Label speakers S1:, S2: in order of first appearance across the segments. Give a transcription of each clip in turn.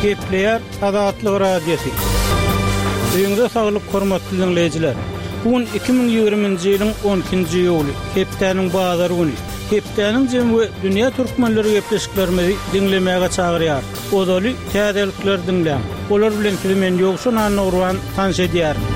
S1: Gepleýär Azatlyk Radiosy. Öýüňize saglyk hormatly diňleýjiler. Bu gün 2020-nji ýylyň 12-nji iýuly, hepdäniň bazar güni. Hepdäniň jemi we dünýä türkmenleri gepleşiklerimizi diňlemäge çagyrýar. Ozaly täzelikleri diňläň. Olar bilen sizi men Ýowşan Annagurban tanyş edýärin.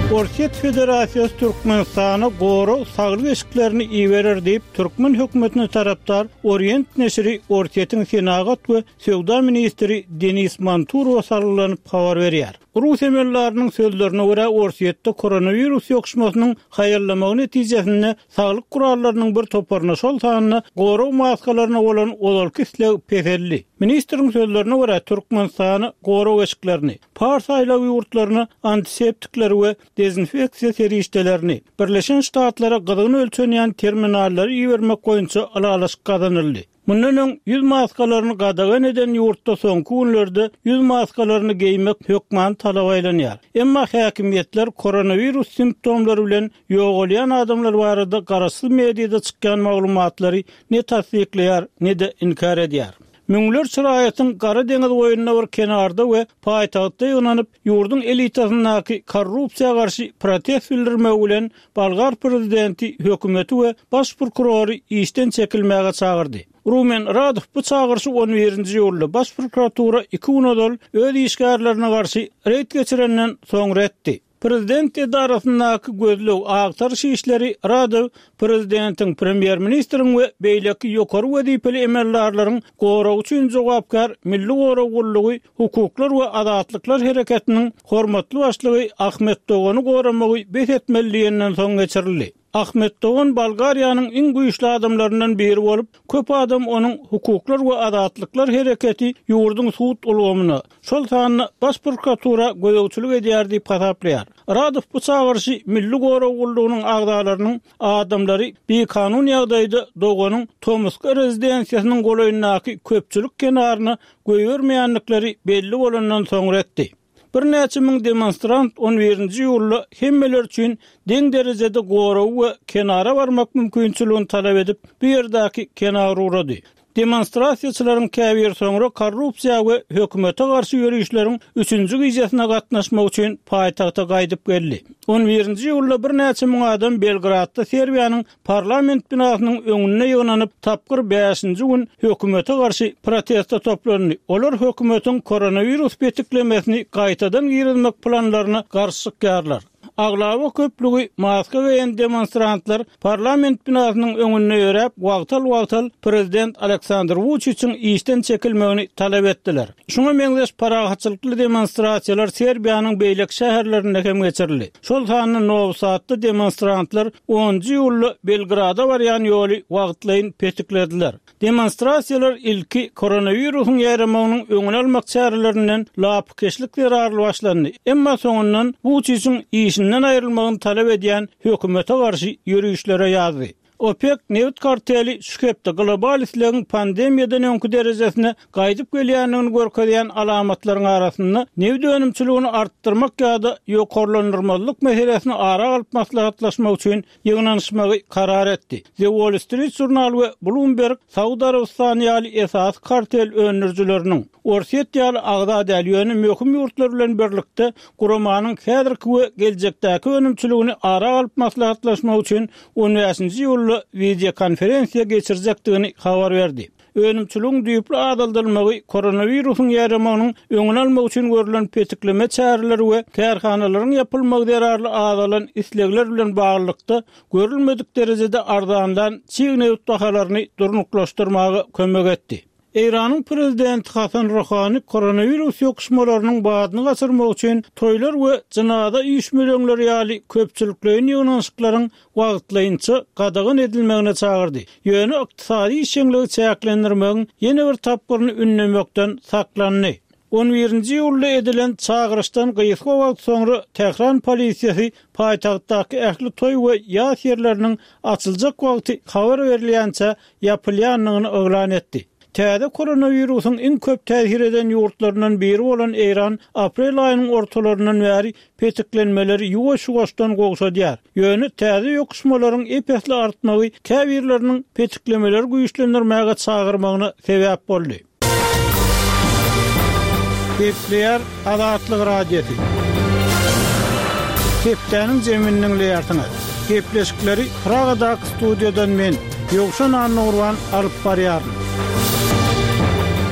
S1: Orsýet Federasiýasy Türkmenistana gorag saglyk eşiklerini iberer diýip, türkmen hökümetine tarapdar Orient neşiri Orsýetiň senagat we söwda ministri Denis Manturowa salgylanyp habar berýär. Rus emeldarynyň sözlerine görä, Orsýetde koronawirus ýokuşmasynyň haýallamagy netijesinde saglyk gurallarynyň bir toparyna, şol sanda gorag maskalaryna bolan ozalky isleg peseldi. Ministriň sözlerine görä, Türkmenistana gorag eşiklerini, Pars aýlagy ýurtlaryna antiseptikleri we dezinfeksiýa serişdelerini, Birleşen Ştatlara gyzgyn ölçenýän terminallary ibermek boýunça ylalaşyk gazanyldy. Mundan öň ýüz maskalaryny gadagan eden ýurtda soňky günlerde ýüz maskalaryny geýmek hökmany talaba aýlanýar. Emma häkimiýetler koronawirus simptomlary bilen ýogalýan adamlar barada garaşsyz mediada çykýan maglumatlary ne tassyklaýar, ne-de inkär edýär. Müňlerçe raýatyň Gara deňiz boýunda bir kenarda we paýtagtda ýygnanyp, ýurduň elitasyndaky korrupsiýa garşy protest bildirmegi bilen bolgar prezidenti hökümeti we baş prokurory işden çekilmäge çagyrdy. Rumen Radow bu çagyryşy on birinji iýulda baş prokuratura iki gün ozal öz işgärlerine garşy reýd geçirenden soňra etdi. Prezident edarasyndaky gözleg agtaryş işleri Radew prezidentiň, premýer-ministriň we beýleki ýokary wezipeli emeldarlaryň goragy üçin jogapkär Milli gorag gullugy Hukuklar we azatlyklar hereketiniň hormatly başlygy Ahmet Dogany goramagy bes etmeli diýenden soň geçirildi. Ahmet Dogan Bolgariýanyň iň güýçli adamlaryndan biri bolup, köp adam onuň Hukuklar we azatlyklar hereketi ýurduň sud ulgamyna, şol sanda Baş prokuratura gözegçilik edýär diýip hasaplaýar. Radow bu çagyryşy Milli gorag gullugynyň agzalarynyň adamlary bikanun ýagdaýda Doganyň tomusky rezidensiýasynyň golaýyndaky köpçülik kenaryna goýbermeýändikleri belli bolandan soňra etdi. Birnäçe müň demonstrant on birinji iýulda hemmeler üçin deň derejede goragy we kenara barmak mümkinçiligini talap edip, bu ýerdäki kenara ugrady. Demonstrasiýaçylaryň käbiri soňra korrupsiýa we hökümete garşy ýörişleriň üçünji gijesine gatnaşmak üçin paýtagta gaýdyp geldi. On birinji iýulda birnäçe müň adam Belgradda Serbiýanyň Parlament binasynyň öňünde ýygnanyp, tapgyr bäşinji gün hökümete garşy proteste toplandy. Olar hökümetiň koronawirus petiklemesini gaýtadan girizmek planlaryna garşy çykýarlar. Aglaba köplügi maska geýen demonstrantlar parlament binasynyň öňünde ýöräp, wagtal-wagtal prezident Aleksandr Wuçiçiň işden çekilmegini talap etdiler. Şuňa meňzeş parahatçylykly demonstrasiýalar Serbiýanyň beýleki şäherlerinde hem geçirildi. Şol sanda Nowi Sadda demonstrantlar onunjy iýulda Belgrada barýan ýoly wagtlaýyn petiklediler. Demonstrasiýalar ilki koronawirusyň ýaýramagynyň öňüni almak çärelerinden lapykeçlik zerarly başlandy, emma soňundan Wuçiçiň işinden aýrylmagyny talap edýän hökümete garşy ýörişlere ýazdy. OPEK nebit karteli şu hepde global islegiň pandemiýadan öňki derejesine gaýdyp gelýändigini görkezýän alamatlaryň arasynda nebit önümçiligini artdyrmak ýa-da ýokarlandyrmazlyk meselesini ara alyp maslahatlaşmak üçin ýygnanyşmagy karar etdi. The Wall Street Journal we Bloomberg Saud Arabystany ýaly esasy kartel öndürijileriniň, Orsýet ýaly agza däl, ýöne möhüm ýurtlar bilen birlikde guramanyň häzirki we geljekdäki önümçiligini ara alyp maslahatlaşmak üçin on bäşinji iýulda wideokonferensiýa geçirjekdigini habar berdi. Önümçiligiň düýpli azaldylmagy koronawirusyň ýaýramagynyň öňüni almak üçin görlen petikleme çäreleri we kärhanalaryň ýapylmagy zerarly azalan islegler bilen baglylykda görülmedik derejede arzanlan çig nebit bahalaryny durnuklaşdyrmaga kömek etdi. Eýranyň prezidenti Hasan Ruhani koronawirus ýokuşmalarynyň badyny gaçyrmak üçin toýlar we jynaza üýşmeleňleri ýaly köpçülikleýin ýygnanyşyklaryň wagtlaýynça gadagan edilmegine çagyrdy. Ýöne ykdysady işjeňligi çäklendirmegiň ýene bir tapgyryny ündemekden saklandy. On birinji iýulda edilen çagyryşdan gysga wagt soňra Tähran polisiýasy paýtagtdaky ähli toý we ýas ýerleriniň açyljak wagty habar berilýänçä ýapylýandygyny yglan etdi. Täze koronawirusyň iň köp täsir eden ýurtlaryndan biri bolan Eýran aprel aýynyň ortalaryndan bäri petiklenmeleri ýuwaş-ýuwaşdan gowşadýar. Ýöne täze ýokuşmalaryň ep-esli artmagy käbirleriniň petiklemeleri güýçlendirmäge çagyrmagyna sebäp boldy. Gepleýär Azatlyk Radiosy. Hepdäniň jemini diňleýärsiňiz. Gepleşikleri Pragadaky studiýadan men, Ýowşan Annagurban alyp barýaryn.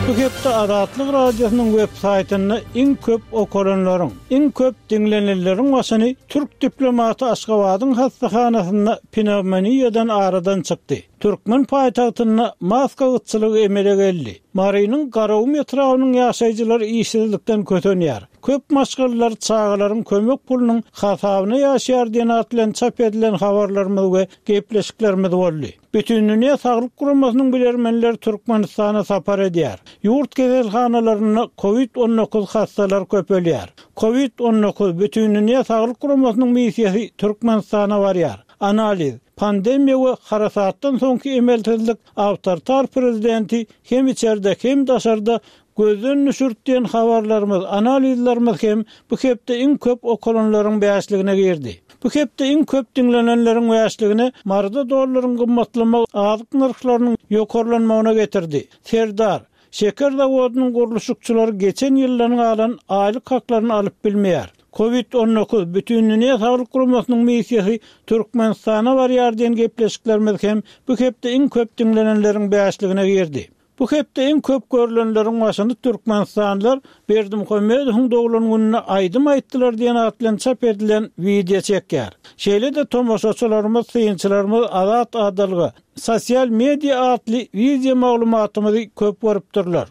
S1: Bu hepde Azatlyk Radiosynyň web saýtynda iň köp okalanlaryň, iň köp diňlenilenleriň başyny türk diplomaty Aşgabadyň hassahanasynda pnewmoniýadan aradan çykdy. Türkmen paýtagtynda maska gytçylygy emele geldi. Marynyň Garagum etrabynyň ýaşaýjylary işsizlikden kösenýär. Köp maşgalalar çagalaryň kömek pulunyň hasabyna ýaşaýar diýen at bilen çap edilen habarlarymyz we gepleşiklerimiz boldy. Bütindünýä saglyk guramasynyň bilermenleri Türkmenistana sapar edýär. Ýurt keselhanalarynda Covid 19 hassalar köpelýär. Covid 19 Bütindünýä saglyk guramasynyň missiýasy Türkmenistana barýar. Analiz, Pandemiýa we harasatdan soňky emelsizlik awtoritar prezidenti hem içerde, hem daşarda gözden düşürdi diýen habarlarymyz, analizlerimiz hem bu hepde iň köp okalanlaryň bäşligine girdi. Bu hepde iň köp diňlenenleriň bäşligine Maryda dollaryň gymmatlamagy azyk nyrhlarynyň ýokarlanmagyna getirdi. Serdar, Şeker zawodynyň gurluşykçylary geçen ýyldan galan aýlyk haklaryny alyp bilmeýär. Covid 19, Bütindünýä Saglyk Guramasynyň missiýasy Türkmenistana barýar diýen gepleşiklerimiz hem bu hepde iň köp diňlenenleriň bäşligine girdi. Bu hepde iň köp görlenleriň başyny türkmenistanlylar Berdimuhamedowyň doglan gününde aýdym aýtdylar diýen at bilen çap edilen wideo çekýär. Şeýle-de tomaşaçylarymyz, synçylarymyz Azat adalga, Sosial media atly wideo maglumatymyzy köp görüpdirler.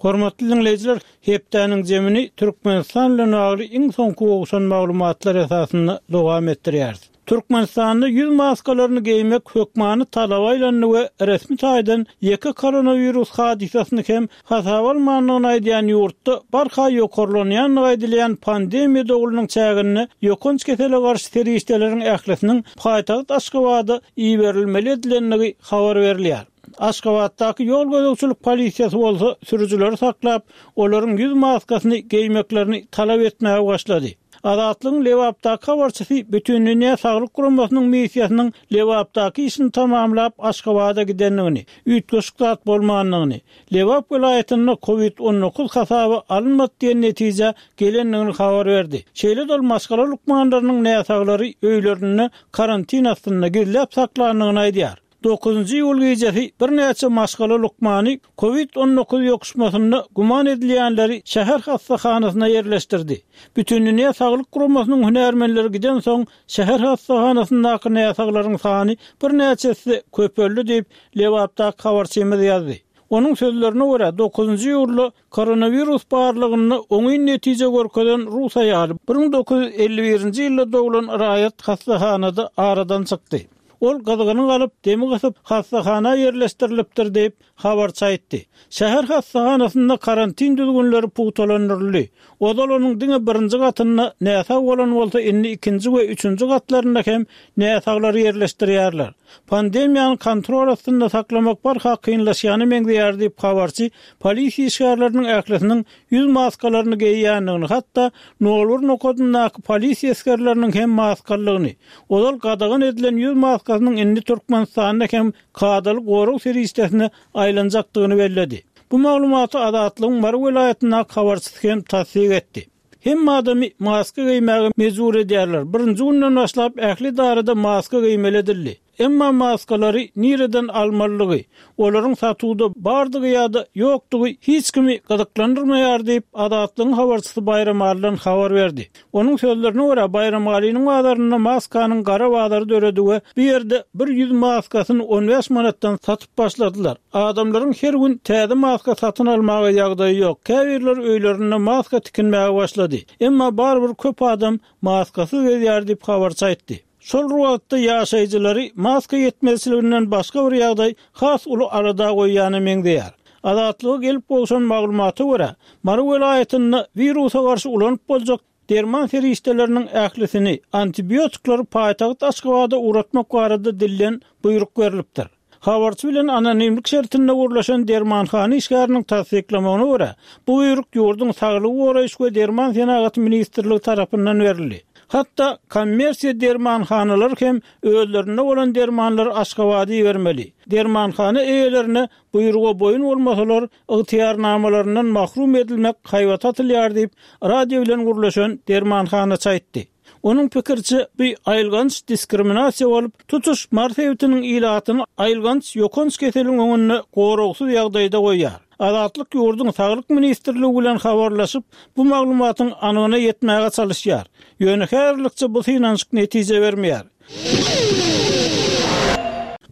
S1: Hormatly diňleýjiler, hepdäniň jemini Türkmenistan bilen bagly iň soňky gowşan maglumatlar esasynda dowam etdirýäris. Türkmenistanda ýüz maskalaryny geýmek hökmany talaba aýlandy we resmi taýdan ýeke koronawirus hadysasyny hem hasaba almandygyny aýdýan ýurtda barha ýokarlanýandygy aýdylýan pandemiýa dowlunyň çäginde ýokanç kesele garşy serişdeleriň ählisiniň paýtagt Aşgabada iberilmeli edilendigi habar berilýär. Aşgabatdaky ýol gözegçilik polisiýasy bolsa sürüjileri saklap, olaryň ýüz maskasyny geýmeklerini talap etmäge başlady. Azatlygyň Lebapdaky habarçysy Bütindünýä Saglyk Guramasynyň missiýasynyň Lebapdaky işini tamamlap, Aşgabada gidendigini, üýtgeşik zat bolmandygyny, Lebap welaýatynda Covid 19 hasaba alynmady diýen netijä gelendigini habar berdi. Şeýle-de ol maşgala lukmanlarynyň näsaglary öýlerinde karantin astynda gizläp saklandygyny aýdýar. Dokuzynjy iýul gijesi birnäçe maşgala lukmany Covid 19 ýokuşmasynda güman edilýänleri şäher hassahanasyna ýerleşdirdi. Bütindünýä saglyk guramasynyň hünärmenleri gidensoň, şäher hassahanasyndaky näsaglaryň sany birnäçe esse köpeldi diýip, Lebapdaky habarçymyz ýazdy. Onuň sözlerine görä, dokuzynjy iýulda koronawirus barlagynda oňyn netije görkezen rus aýaly 1951-nji ýylda doglan raýat hassahanada aradan çykdy. Ol gyzgyny galyp, demi gysyp, hassahana ýerleşdirilipdir diýip, habarçy aýtdy. Şäher hassahanasynda karantin düzgünleri pugtalandyryldy. Ozal onuň diňe birinji gatynda näsag bolan bolsa, indi ikinji we üçünji gatlarynda hem näsaglary ýerleşdirýärler. Pandemiýany kontrol astynda saklamak barha kynlaşýana meňzeýär diýip, habarçy polisiýa işgärleriniň ählisiniň ýüz maskalaryny geýýändigini, hatda nol bir nokadyndaky polisiýa esgerleriniň hem maskalydygyny, ozal gadagan edilen ýüz maskasynyň indi Türkmenistanda hem kadaly gorag serişdesine aýlanjakdygyny belledi. Bu maglumaty Azatlygyň Mary welaýatyndaky habarçysy hem tassyk etdi. Hemme adamy maska geýmäge mejbur edýärler. Birinji günden başlap ähli edarada maska geýmeli edildi. Emma maskalary nireden almalydygy, olaryň satuwda bardygy ýa-da ýokdugy hiç kimi gyzyklandyrmaýar diýip, Azatlygyň habarçysy Baýramalydan habar berdi. Onuň sözlerine görä, Baýramalynyň bazarynda maskanyň gara bazary döredi we bu ýerde bir ýüz maskasyny 15 manatdan satyp başladylar. Adamlaryň her gün täze maska satyn almaga ýagdaýy ýok, käbirleri öýlerinde maska tikinmäge başlady. Emma barybir köp adam maskasyz gezýär diýip, habarçy aýtdy. Şol bir wagtda ýaşaýjylary maska ýetmezçiliginden başga bir ýagdaý has uly alada goýýana meňzeýär. Azatlyga gelip gowşan maglumata görä, Mary welaýatynda wirusa garşy ulanyp boljak derman serişdeleriniň ählisini, antibiotikleri paýtagt Aşgabada ugratmak barada dilden buýruk berlipdir. Habarçy bilen anonimlik şertinde gürleşen dermanhana işgäriniň tassyklamagyna görä, bu buýruk ýurduň Saglygy goraýyş we derman senagaty ministrligi tarapyndan berildi. Hatda kommersiýa dermanhanalary hem özlerinde bolan dermanlary Aşgabada ibermeli. Dermanhana eýelerine buýruga boýun bolmasalar, ygtyýarnamalaryndan mahrum edilmek haýbaty atylýar diýip, radio bilen gürleşen dermanhanaçy aýtdy. Onuň pikiriçe, bu aýylganç diskriminasiýa bolup, tutuş Mary sebitiniň ilatyny aýylganç ýokanç keseliň öňünde goragsyz ýagdaýda goýýar. Azatlyk ýurduň Saglyk ministrligi bilen habarlaşyp, bu maglumatyň anygyna ýetmäge çalyşýar. Ýöne häzirlikçe bu synanyşyk netije bermeýär.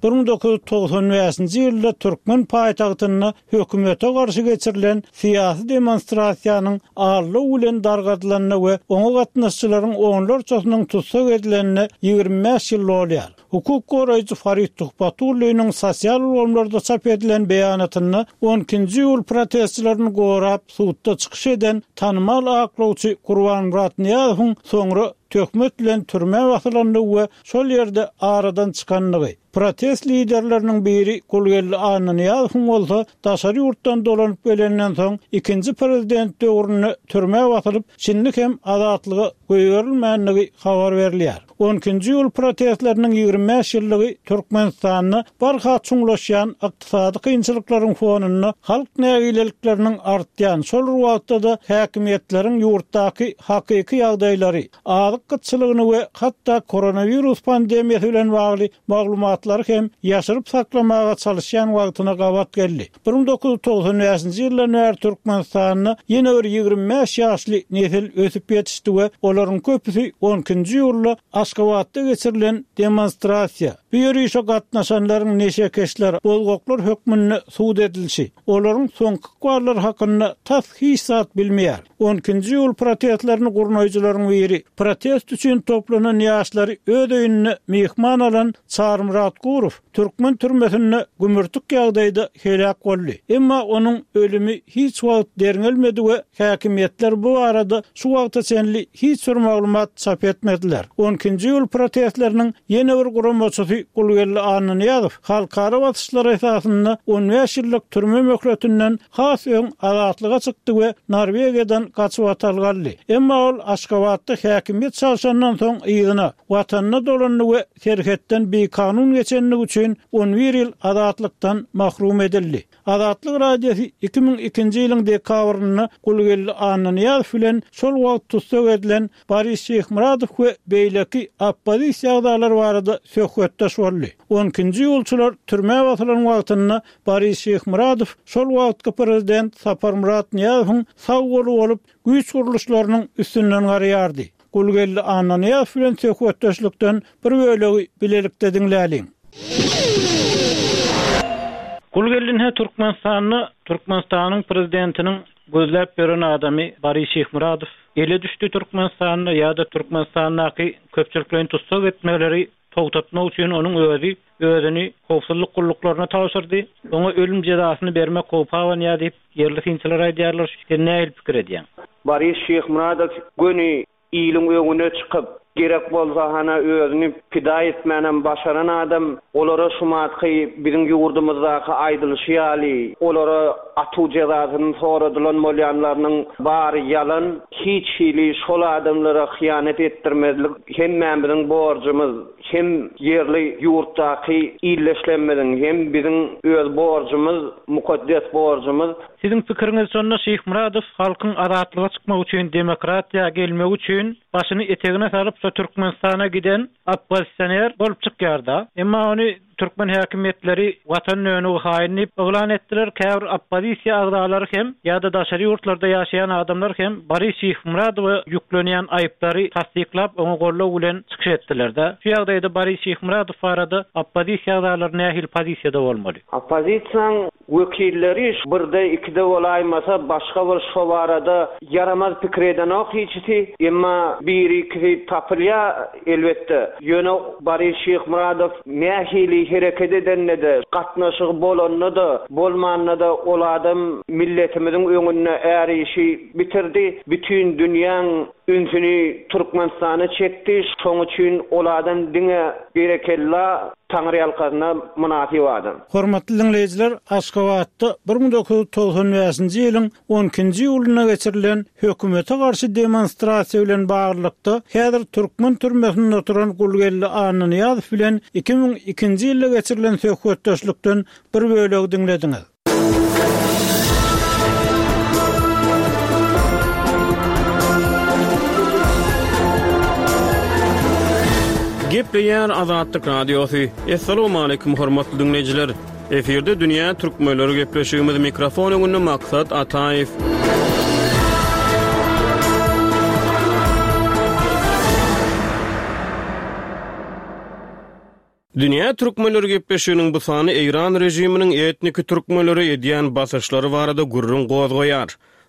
S1: 1995-nji ýylda türkmen paýtagtynda hökümete garşy geçirilen syýasy demonstrasiýanyň aldaw bilen dargadylanyna we oňa gatnaşyjylaryň onlarçasynyň tussag edilenine 25 ýyl dolýar. Hukuk goraýjy Farid Tuhbatulliniň sosial ulgamlarda çap edilen beýanatynda on ikinji iýul protestçilerini gorap sudda çykyş eden tanymal aklawçy Gurbanmyrat Nyýazowyň soňra töhmet bilen türmä basylandygy we şol ýerde aradan çykandygy, protest liderleriniň biri Gulgeldi Annanyýazowyň bolsa daşary ýurtdan dolanyp gelenden soň ikinji prezident döwründe türmä basylyp, şindi hem azatlyga goýberilmändigi habar berilýär. On ikinji iýul protestleriniň 25 ýyllygy Türkmenistanda barha çuňlaşýan ykdysady kynçylyklaryň fonunda halk nägilelikleriniň artýan, şol bir wagtda-da häkimiýetleriň ýurtdaky hakyky ýagdaýlary, azyk gytçylygyny we hatda koronawirus pandemiýasy bilen bagly maglumatlary hem ýaşyryp saklamaga çalyşýan wagtyna gabat geldi. 1995-nji ýyldan bäri Türkmenistanda ýene bir 25 ýaşly nesil ösüp ýetişdi we olaryň köpüsi on ikinji iýulda Aşgabatda geçirilen demonstrasiýa, bu ýörişe gatnaşanlaryň neşekeşler, bozgaklar hökmünde sud edilişi, olaryň soňky ykballary hakynda tas hiç zat bilmeýär. On ikinji iýul protestlerini gurnaýjylaryň biri, protest üçin toplanan ýaşlary öz öýünde myhman alan Çarymyrat Gurow türkmen türmesinde gümürtik ýagdaýda heläk boldy. Emma onuň ölümi hiç wagt derňelmedi we häkimiýetler bu barada şu wagta çenli hiç bir maglumat çap etmediler. On ikinji iýul protestleriniň ýene bir guramaçysy Gulgeldi Annanyýazow halkara basyşlary esasynda on bäş ýyllyk türme möhletinden has öň azatlyga çykdy we Norwegiýadan gaçybatalga aldy. Emma ol Aşgabatda häkimiýet çalşandan soň yzyna, Watanyna dolandy we serhetden bikanun geçenligi üçin on bir ýyl azatlykdan mahrum edildi. Azatlyk Radiosy 2002-nji ýylyň dekabrynda Gulgeldi Annanyýazow bilen şol wagt tussag edilen Boris Şyhmyradow we beýleki oppozisiýa agzalary barada söhbetdeş boldy. On ikinji iýulçylar türmä basylan wagtynda Boris Şyhmyradow şol wagtky prezident Saparmyrat Nyýazowyň sag goly bolup, güýç gurluşlarynyň üstünden garaýardy. Gulgeldi Annanyýazow bilen söhbetdeşlikden bir bölegi bilelikde diňläliň. Gulgeldi ine Türkmenistanda Türkmenistanyň prezidentiniň gözläp ýören adamy Boris Şyhmyradow ele düşdi Türkmenistanda ýa-da Türkmenistandaky köpçülikleýin tussag etmeleri togtatmak üçin onuň özi özüni howpsuzlyk gulluklaryna tabşyrdy. Oňa ölüm jezasyny bermek howpy abanýar diýip, ýerli synçylar aýdýarlar. Sen nähili pikir edýäň?
S2: Boris Şyhmyradow göni iliň öňüne çykyp, gerek bolsa hana özüni pida etmänem başaran adam. Olara şumatky biziň ýurdumyzdaky aýdylyşy ýaly, olara atuw jezasyny soradylan bolýanlarynyň bary ýalan. Hiç hili şol adamlara hyýanat etdirmezlik hemmämiziň borjumyz. Hem ýerli ýurtdaky ildeşlerimiziň, hem biziň öz borjumyz, mukaddes borjumyz.
S1: Siziň pikiriňiz şonda Şyhmyradow halkyň azatlyga çykmagy üçin demokratiýa gelmegi üçin başyny etegine salyp şo Türkmenistana giden oppozisioner bolup çykýarda. Emma ony türkmen häkimiýetleri watan dönügi haýyn diýip yglan etdiler. Käbir oppozisiýa agzalary hem ýa-da daşary ýurtlarda ýaşaýan adamlar hem Boris Şyhmyradowa ýüklenýän aýyplary tassyklap oňa goldaw bilen çykyş etdiler-de. Şu ýagdaýda Boris Şyhmyradow barada oppozisiýa agzalary nähili pozisiýada bolmaly?
S2: Oppozisiýaň Wekilleri birde-ikide bolaýmasa başga bir şo barada ýaramaz pikir edenok hiçisi. Emma biri-ikisi tapylýar elbetde. Ýöne Boris Şyhmyradow nähili hereket edende-de, gatnaşygy bolanda-da, bolmanda-da ol adam milletimiziň öňünde är işi bitirdi. Bütin dünýäň. ünsüni Türkmenistana çekdi, şoň üçin ol adam diňe berekella Taňryýalkasyna mynasyp adam.
S1: Hormatly diňleýjiler, Aşgabatda 1995-nji ýylyň on ikinji iýulynda geçirilen hökümete garşy demonstrasiýa bilen baglylykda, häzir türkmen türmesinde oturan Gulgeldi Annanyýazow bilen 2002-nji ýylda geçirilen söhbetdeşlikden bir bölegi diňlediňiz.
S3: Gepleýär Azatlyk Radiosy. Assalamualaikum hormatly diňleýjiler. Efirde dünýä türkmenleri gepleşigimiz mikrofon öňünde Maksat Ataýew. Dünýä türkmenleri gepleşiginiň bu sany Eýran režiminiň etniki türkmenlere edýän basyşlary barada gürrüň gozgaýar.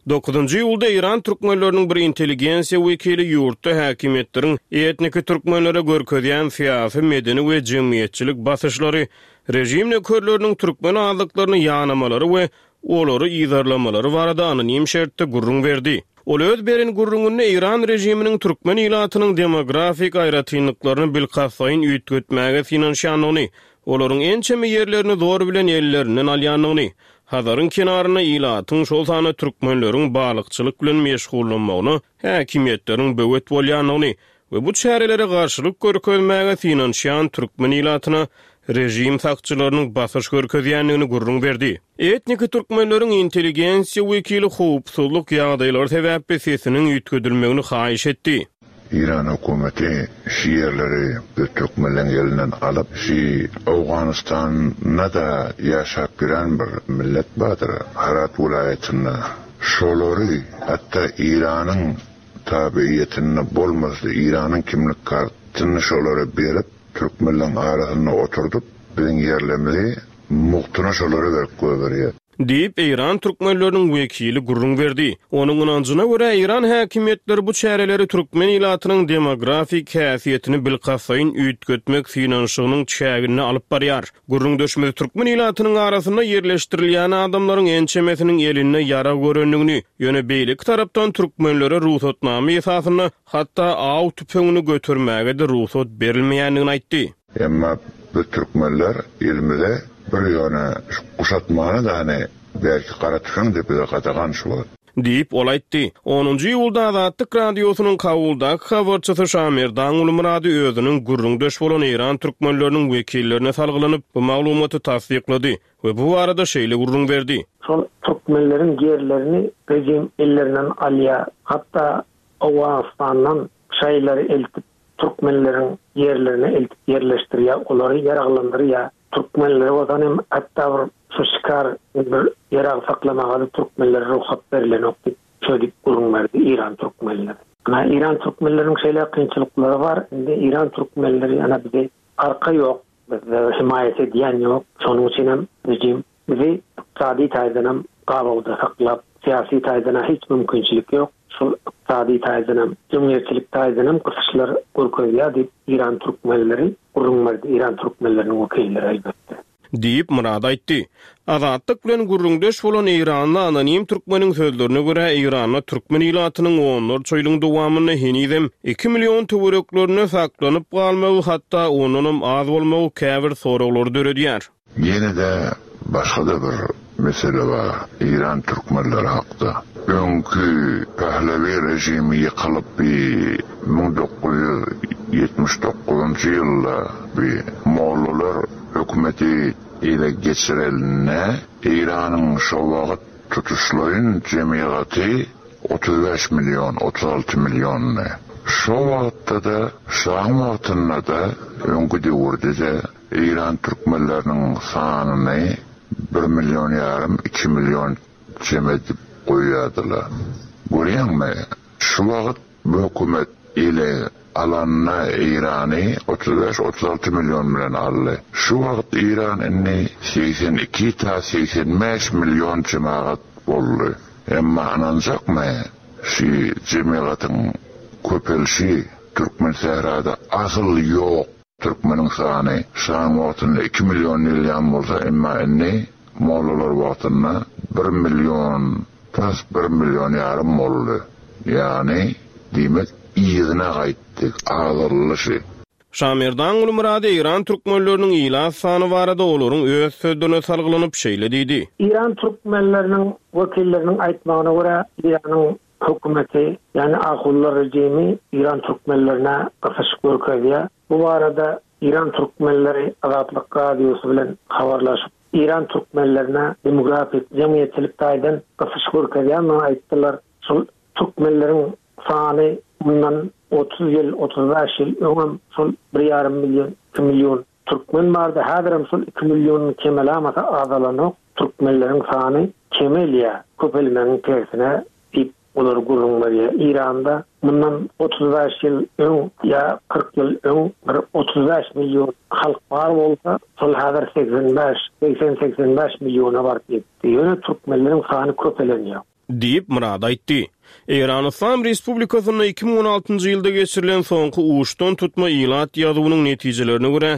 S3: Dokuzynjy iýulda Eýran türkmenleriniň bir intelligensiýa wekili ýurtda häkimiýetleriň etniki türkmenlere görkezýän syýasy, medeni we jemgyýetçilik basyşlary, režim nökerleriniň türkmen azlyklaryny ýanamalary we olary yzarlamalary barada anonim şertde gürrüň berdi. Ol öz beren gürrüňinde eýran režiminiň türkmen ilatynyň demografik aýratynlyklaryny bilkastlaýyn üýtgetmäge synanyşýandygyny, olaryň ençeme ýerlerini zor bilen ellerinden alýandygyny, Hazaryň kenarynda ilatyň, şol sanda türkmenleriň balykçylyk bilen meşgullanmagyna häkimiýetleriň böwet bolýandygyny we bu çärelere garşylyk görkezmäge synanyşýan türkmen ilatyna režim sakçylarynyň basyş görkezýändigini gürrüň berdi. Etniki türkmenleriň intelligensiýa wekili howpsuzlyk ýagdaýlary sebäpli sesiniň üýtgedilmegini haýyş etdi.
S4: Eýran hökümeti şi ýerleri biz türkmenleň elinden alyp, şi Owganystanda-da ýaşap ýören bir millet bardyr, Hyrat welaýatynda. Şolary, hatda Eýranyň tabiýetinde bolmasa-da Eýranyň kimlik kartyny şolara berip, türkmenleň arasynda oturdyp, biziň ýerlerimizi Mugtuna şolara berip goýberýär.
S3: Diýip, eýran türkmenleriniň wekili gürrüň berdi. Onuň ynanjyna görä, eýran häkimiýetleri bu çäreleri türkmen ilatynyň demografik häsiýetini bilkastlaýyn üýtgetmek synanyşygynyň çäginde alyp barýar. Gürrüňdeşimiz türkmen ilatynyň arasynda ýerleşdirilýän adamlaryň ençemesiniň elinde ýarag görendigini, ýöne beýleki tarapdan türkmenlere rugsatnama esasynda hatda aw tüpeňini götermäge-de rugsat berilmeýändigini aýtdy.
S4: Emma biz türkmenler elimize bir ýöne şu guşatmany dany belki gara tüfeň de bize gadagan şu wagt.
S3: Diýip, ol aýtdy. Onunjy iýulda Azatlyk Radiosynyň Kabuldaky habarçysy Şamerdan Gulmyrady özüniň gürrüňdeş bolan eýran türkmenleriniň wekillerine salgylanyp, bu maglumaty tassyklady we bu barada şeýle gürrüň berdi.
S5: Şol türkmenleriň ýerlerini rejim ellerinden alýar. Hatda Owganystandan şaýlary eltip Türkmenleriň ýerlerine eltip ýerleşdirýär, olary ýaraglandyrýar. Türkmenlere bolsa hem hatda bir şu şikar bir ýarag saklamaga-da türkmenlere rugsat berilenok diýip, şeý diýip gürrüň berdi Eýran türkmenleri. Ana, Eýran türkmenleriniň şeýle kynçylyklary bar. Indi Eýran türkmenleri ana bize arka ýok, bizde hemaýat edýän ýok. Şonuň üçin hem rejim Bizi ykdysady taýdanam gabawda saklap, syýasy taýdan-a hiç mümkinçilik ýok. Şol ykdysady taýdanam, jemgyýetçilik taýdanam gysyşlar görkezýär diýip, eýran türkmenleri gürrüň berdi, eýran türkmenleriniň wekilleri elbetde.
S3: Diýip, Myrat aýtdy. Azatlyk bilen gürrüňdeş bolan eýranly anonim türkmeniň sözlerine görä, Eýranda türkmen ilatynyň onlarça ýylyň dowamynda henizem iki million töwereklerinde saklanyp galmagy, hatda ondanam az bolmagy käbir soraglary döredýär.
S4: Ýene-de başga-da bir mesele bar, Eýran türkmenleri hakda. Öňki Pehlewi režimi ýykylyp bi 1979-njy ýylda bi mollalar hökümeti ele geçirelinde Eýranyň şo wagt tutuşlaýyn jemygaty 35 million, 36 milliondy. Şo wagtda-da, şaň wagtynda-da, öňki döwürde-de Eýran türkmenleriniň sanyny bir million ýarym, iki million jem edip goýýardylar. Görýäňmi, şu wagt bu hökümet ele alanda Eýrany 35, 36 million bilen aldy. Şu wagt Eýran indi 82 ta 85 million jemagat boldy. Emma ynanjakmy, şu jemagatyň köpelişi Türkmensährada asyl ýok. Türkmeniň sany şaň wagtynda iki million diýilýän bolsa, emma indi mollalar wagtynda bir million, tas bir million ýarym boldy. Ýagny. Diýmek, yzyna gaýtdy, azaldy şy.
S3: Şamerdan Gulmyrady eýran türkmenleriniň ilat sany barada olaryň öz sözlerine salgylanyp şeýle diýdi.
S5: Eýran türkmenleriniň wekilleriniň aýtmagyna görä, Eýranyň hökümeti, ýagny ahunlar režimi eýran türkmenlerine gysyş görkezýär. Bu barada eýran türkmenleri Azatlyk Radiosy bilen habarlaşyp, eýran türkmenlerine demografik, jemgyýetçilik taýdan gysyş görkezýändigini aýtdylar. Şol türkmenleriň sany mundan 30 ýyl, 35 ýyl öňem şol bir ýarym million, iki million türkmen bardy. Häzirem şol iki million kemelamasa azalanok. Türkmenleriň sany kemelýär, köpelmegiň tersine diýip olar gürrüň berýär. Eýranda mundan 35 ýyl öň ýa 40 ýyl öň bir 35 million halk bar bolsa, şol häzir 85, 80-85 milliona baryp ýetdi. Ýöne türkmenleriň sany köpelenýär.
S3: Diýip, Myrady aýtdy. Eýran Yslam Respublikasynda 2016-njy ýylda geçirilen soňky uçdan tutma ilat ýazuwynyň netijelerine görä,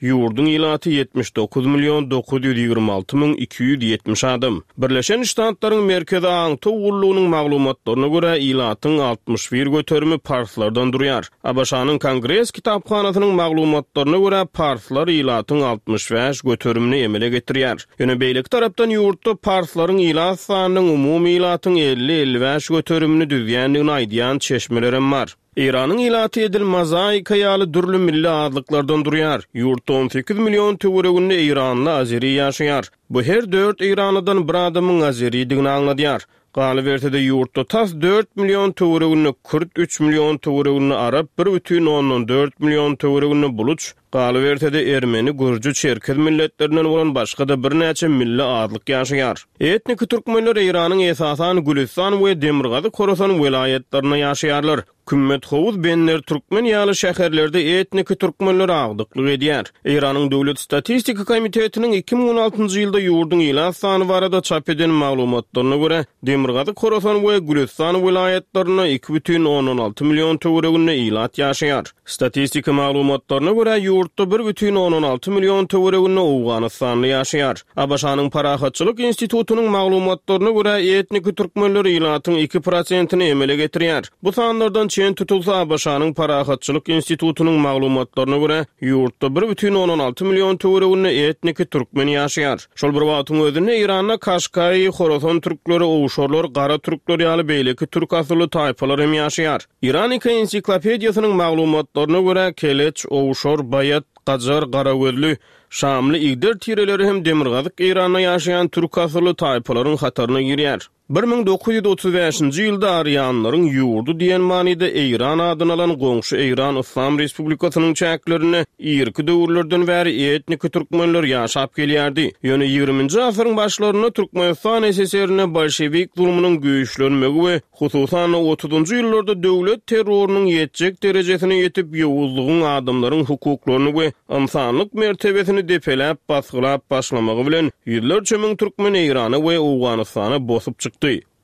S3: ýurduň ilaty 79 million 926 270 adam. Birleşen Ştatlaryň Merkezi aňtaw gullugynyň maglumatlaryna görä, ilatyň 61 göterimi parslardan durýar. ABŞ-nyň Kongres kitaphanasynyň maglumatlaryna görä, parslar ilatyň 65 göterimini emele getirýär. Ýöne beýleki tarapdan ýurtda parslaryň ilat sanynyň umumy ilatyň 50-55 göterimini düzýändigini aýdýan çeşmelerem bar. Eýranyň ilaty edil mozaika ýaly dürli milli azlyklardan durýar. Ýurtda 18 million töwereginde eýranly azeri ýaşaýar. Bu her dört eýranlydan bir adamyň azeridigini aňladýar. Galyberse-de, ýurtda tas dört million töwereginde kürt, üç million töwereginde arap, bir bütin ondan dört million töwereginde buluç, galyberse-de, ermeni, gürji, çerkez milletlerinden bolan başga-da birnäçe milli azlyk ýaşaýar. Etniki türkmenler Eýranyň esasan Gülüstan we Demirgazyk Horasan welaýatlarynda ýaşaýarlar. Kümmet-Howuz, Bender Türkmen ýaly şäherlerde etniki türkmenler agdyklyk edýär. Eýranyň Döwlet statistika komitetiniň 2016-njy ýylda ýurduň ilat sany barada çap eden maglumatlaryna görä, Demirgazyk Horasan we Gülüstan welaýatlarynda 2,6 million töwereginde ilat ýaşaýar. Statistika maglumatlaryna görä, ýurtda 1,6 million töwereginde owganystanly ýaşaýar. ABŞ-nyň Parahatçylyk institutynyň maglumatlaryna görä, etniki türkmenler ilatyň iki prosentini emele getirýär. Bu sanlardan çen tutulsa, ABŞ-nyň Parahatçylyk institutynyň maglumatlaryna görä, ýurtda bir bütin ondan alty million töwereginde etniki türkmen ýaşaýar. Şol bir wagtyň özünde Eýranda Kaşkaýy, Horasan türkleri, owşarlar, gara türkler ýaly beýleki türk asylly taýpalar hem ýaşaýar. Iranika ensiklopediýasynyň maglumatlaryna görä, keleç, owşar, baýat, gajar, garagözli, şamly, igder tireleri hem demirgazyk Eýranda ýaşaýan türk asylly taýpalaryň hataryna girýär. 1935-nji ýylda Arianlaryň ýurdy diýen manyda Eýran adyny alan goňşy Eýran Yslam Respublikasynyň çäklerinde irki döwürlerden bäri etniki türkmenler ýaşap gelýärdi. Ýöne ýigriminji asyryň başlarynda Türkmenistan SSR-inde bolşewik zulumynyň güýçlenmegi we Hususan-da, otuzynjy ýyllarda döwlet terrorynyň ýetjek derejesine ýetip, ýowuzlygyň adamlaryň hukuklaryny we ynsanlyk mertebesini depeläp, basgylap başlamagy bilen, ýüzlerçe müň türkmen Eýrana we Owganystana bosup çykdy.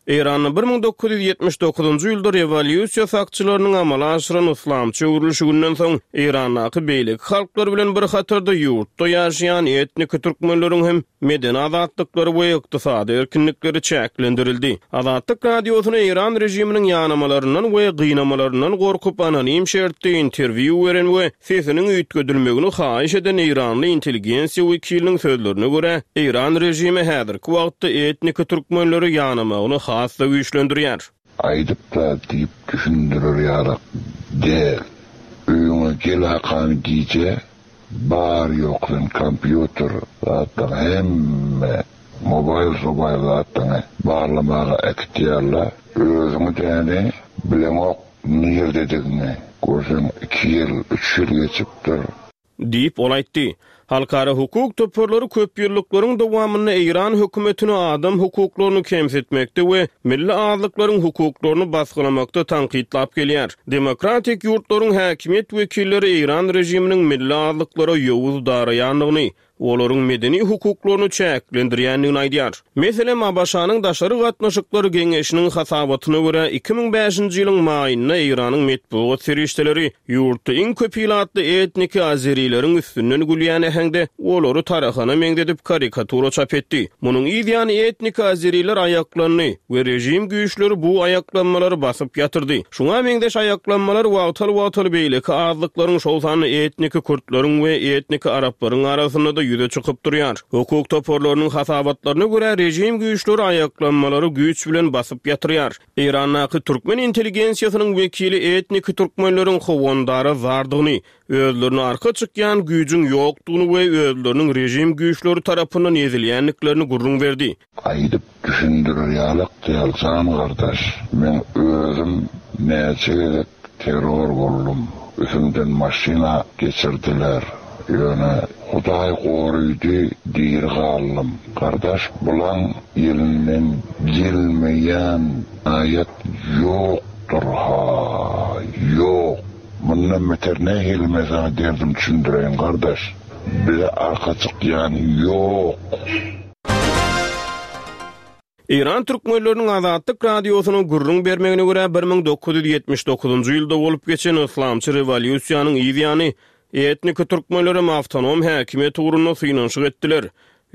S3: Eýranda 1979-njy ýylda rewolýusiýa sakçylarynyň amala aşyran yslamçy öwrülişiginden soň, Eýrandaky beýleki halklar bilen bir hatarda ýurtda ýaşaýan etniki türkmenleriň hem medeni azatlyklary we ykdysady erkinlikleri çäklendirildi. Azatlyk Radiosyna eýran režiminiň ýanamalaryndan we gynamalaryndan gorkup anonim şertde interwýu beren we sesiniň üýtgedilmegini haýyş eden eýranly intelligensiýa wekiliniň sözlerine görä, eýran režimi häzirki wagtda etniki türkmenleri ýanamagyny has-da güýçlendirýär.
S4: Aýdyp-da diýip düşündirer ýalak däl. Öýüňe gel hakan gije Bar ýok sen kompýuter zatlaryň hemme mobaýl sobaýl zatlaryňy barlamaga äkitýärler özüňi däni bileňok nirdedigiňi görseň iki ýyl üç ýyl geçipdir.
S3: Diýip, ol aýtdy. Halkara hukuk toparlary köpýyllyklaryň dowamynda eýran hökümetini adam hukuklaryny kemsitmekde we milli azlyklaryň hukuklaryny basgylamakda tankytlap gelýär. Demokratik ýurtlaryň häkimiýet wekilleri eýran režiminiň milli azlyklara ýowuz daraýandygyny, olaryň medeni hukuklaryny çäklendirýändigini aýdýar. Meselem, ABŞ-nyň Daşary gatnaşyklar geňeşiniň hasabatyna görä, 2005-nji ýylyň maýynda Eýranyň metbugat serişdeleri ýurtda iň köp ilatly etniki azerileriň üstünden gülýän. äheňde olary tarahana meňzedip karikatura çap etdi. Munuň yz ýany etniki azeriler aýaklandy we režim güýçleri bu aýaklanmalary basyp ýatyrdy. Şuňa meňzeş aýaklanmalar wagtal-wagtal beýleki azlyklaryň, şol sanda etniki kürtleriň we etniki araplaryň arasynda-da ýüze çykyp durýar. Hukuk toparlarynyň hasabatlaryna görä, režim güýçleri aýaklanmalary güýç bilen basyp ýatyrýar. Eýrandaky türkmen intelligensiýasynyň wekili etniki türkmenleriň howandara zardygyny, özlerine arka çykýan güýjüň ýokdugyny we özleriniň režim güýçleri tarapyndan ezilýändiklerini gürrüň berdi.
S4: Aýdyp düşündirer ýalak däl jan gardaş, meň özüm näçe gezek terror boldum, üsümden maşyna geçirdiler, ýöne Hudaý gorydy diri galdym. Gardaş bulaň elinden gelmeýän aýat ýokdur ha ýok. Mundan beter nähili men saňa derdim düşündireýin gardaş, bize arka çykýan ýok.
S3: Eýran türkmenleriniň Azatlyk Radiosyna gürrüň bermegine görä, 1979-njy ýylda bolup geçen yslamçy rewolýusiýanyň yz ýany etniki türkmenlerem awtonom häkimiýet ugrunda synanyşyk etdiler.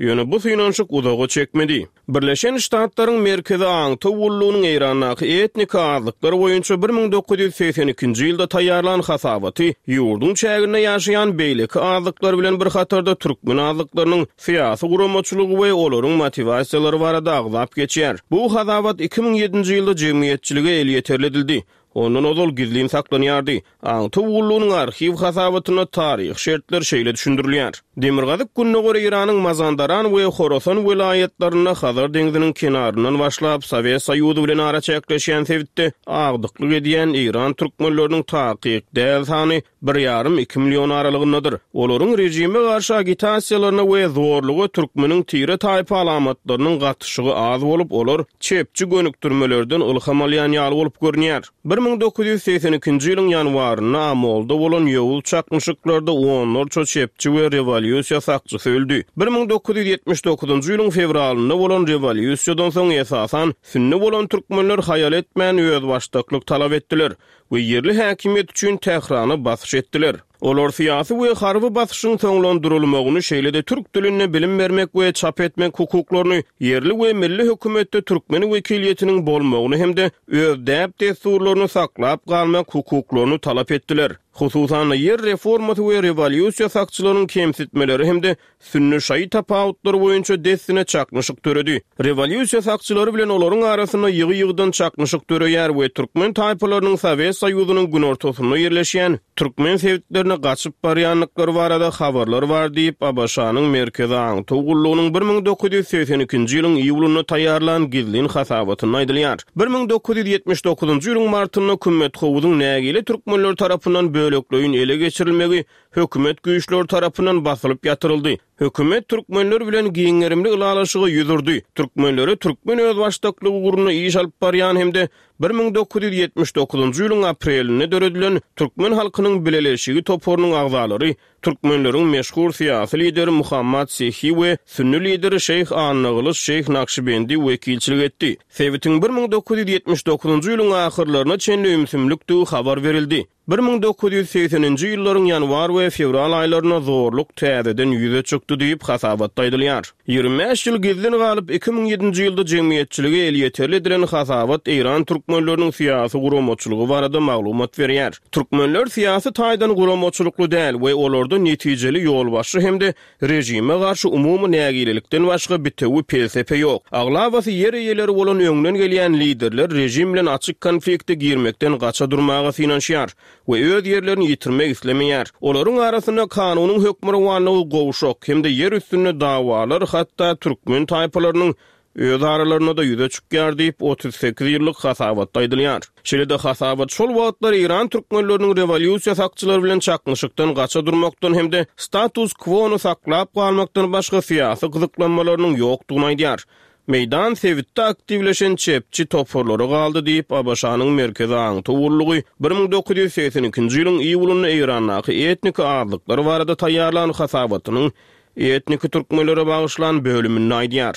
S3: Ýöne bu synanyşyk uzaga çekmedi. Birleşen Ştatlaryň Merkezi aňtaw gullugynyň Eýrandaky etniki azlyklar boýunça 1982-nji ýylda taýýarlan hasabaty ýurduň çäginde ýaşaýan beýleki azlyklar bilen bir hatarda türkmen azlyklarynyň syýasy guramaçylygy we olaryň motiwasiýalary barada agzap geçýär. Bu hasabat 2007-nji ýylda jemgyýetçilige elýeterli edildi. Ondan ozal gizlin saklanýardy. Aňtaw gullugynyň arhiw hasabatynda taryhy şertler şeýle düşündirilýär. Demirgazyk-gündogar Eýranyň Mazandaran we Horasan welaýatlarynda Hazar deňziniň kenaryndan başlap Sowet Soýuzy bilen araçäkleşýän sebitde agdyklyk edýän eýran türkmenleriniň takyk däl sany bir ýarym-iki million aralygyndadyr. Olaryň režime garşy agitasiýalaryna we zorluga türkmeniň tire-taýpa alamatlarynyň gatyşygy az bolup, olar çepçi gönükdirmelerden ylham alýan ýaly bolup görünýär. 1982-nji ýylyň ýanwarynda Amolda bolan ýowuz çaknyşyklarda onlarça çepçi we rewolýusiýa sakçysy öldi. 1979-njy ýylyň fewralynda bolan rewolýusiýadan soň esasan sünni bolan türkmenler haýal etmän özbaşdaklyk talap etdiler we ýerli häkimiýet üçin Tährana basyş etdiler. Olar syýasy we harby basyşyň soňlandyrylmagyny, şeýle-de türk dilinde bilim bermek we çap etmek hukuklaryny, ýerli we milli hökümetde türkmen wekiliýetiniň bolmagyny hem-de öz däp-dessurlaryny saklap galmak hukuklaryny talap etdiler. Hususan-da, ýer reformasy we rewolýusiýa sakçylarynyň kemsitmeleri hem-de Sünni-şaýy tapawutlary boýunça dessine çaknyşyk döredi. Rewolýusiýa sakçylary bilen olaryň arasynda ýygy-ýygydan çaknyşyk döreýär we türkmen taýpalarynyň Sowet Soýuzynyň günortasynda ýerleşýän türkmen sebitlerine gaçyp barýandyklary barada habarlar bar diýip, ABŞ-nyň Merkezi aňtaw gullugynyň 1982-nji ýylyň iýulynda taýýarlan gizlin hasabatynda aýdylýar. 1979-njy ýylyň martynda Kümmethowuzyň nägile türkmenler tarapyndan bölekleýin ele geçirilmegi hökümet güýçleri tarapyndan basylyp ýatyryldy. Hökümet türkmenler bilen giň gerimli ylalaşyga ýüz urdy. Türkmenlere türkmen özbaşdaklygy ugrunda iş alyp barýan hem-de 1979-njy ýylyň aprelinde döredilen Türkmen halkynyň bileleşigi toparynyň agzalary türkmenleriň meşhur syýasy lideri Muhammad Sehi we sünni lideri şeýh Annagylyç şeýh Nakşybendi wekilçilik etdi. Sebitiň 1979-njy ýylyň ahyrlaryna çenli ümsümlikdigi habar berildi. 1980-nji ýyllaryň ýanwar we fewral aýlarynda zorluk täzeden ýüze çykdy diýip, hasabatda aýdylýar. 25 ýyl gizlin galyp, 2007-nji ýylda jemgyýetçilige elýeterli edilen hasabat eýran türkmenleriniň syýasy guramaçylygy barada maglumat berýär. Türkmenler syýasy taýdan guramaçylykly däl we olarda netijeli ýolbaşçy hem-de Režime garşy umumy nägilelikden başga bitewi pelsepe ýok. Aglabasy ýer eýeleri bolan öňden gelýän liderler režim bilen açyk konflikte girmekden gaça durmaga synanyşýar we öz ýerlerini ýitirmek islemeýär. Olaryň arasynda kanunyň hökmürowanlygy gowşak hem-de ýer üstünde dawalar hatda türkmen taýpalarynyň öz aralarynda-da ýüze çykýar diýip, 38 ýyllyk hasabatda aýdylýar. Şeýle-de hasabat şol wagtlar eýran türkmenleriniň rewolýusiýa sakçylary bilen çaknyşykdan gaça durmakdan hem-de status-kwony saklap galmakdan başga syýasy gyzyklanmalarynyň ýokdugyny aýdýar. Meýdan sebitde aktiwleşen çepçi toparlara galdy diýip, ABŞ-nyň Merkezi aňtaw gullugy 1982-nji ýylyň iýulynda Eýrandaky etniki azlyklar barada taýýarlan hasabatynyň etniki türkmenlere bagyşlan bölüminde aýdýar.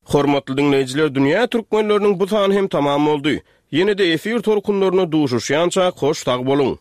S3: Hormatly diňleýjiler dünýä türkmenleriniň bu sany hem tamam boldy. Ýene-de efir tolkunlarynda duşuşýançak hoş sag boluň.